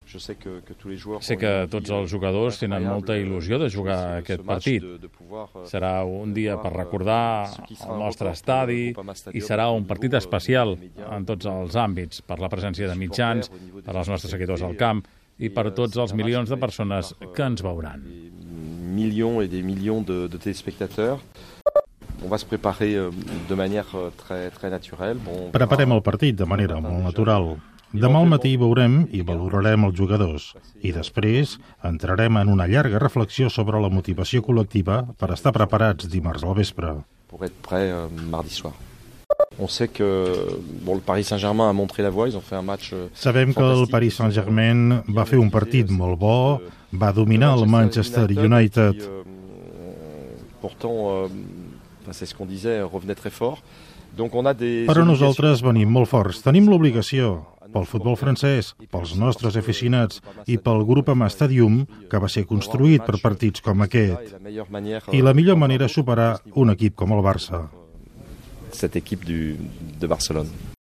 Sé que tots els jugadors tenen molta il·lusió de jugar aquest partit. Serà un dia per recordar el nostre estadi i serà un partit especial en tots els àmbits, per la presència de mitjans, per als nostres seguidors al camp i per tots els milions de persones que ens veuran. Millions et des millions de téléspectateurs. On va se préparer de manière très naturelle. Preparem el partit de manera molt natural. Demà al matí veurem i valorarem els jugadors i després entrarem en una llarga reflexió sobre la motivació col·lectiva per estar preparats dimarts al vespre. Pour être prêt mardi soir. On sait que le Paris Saint-Germain a montré la voie, ils ont fait un match. Sabem que el Paris Saint-Germain va fer un partit molt bo, va dominar el Manchester United. Pourtant, c'est ce qu'on disait, revenait très fort. Donc on a des. Però nosaltres venim molt forts. Tenim l'obligació pel futbol francès, pels nostres aficionats i pel grup amb Stadium, que va ser construït per partits com aquest. I la millor manera és superar un equip com el Barça. Cette équipe de Barcelone.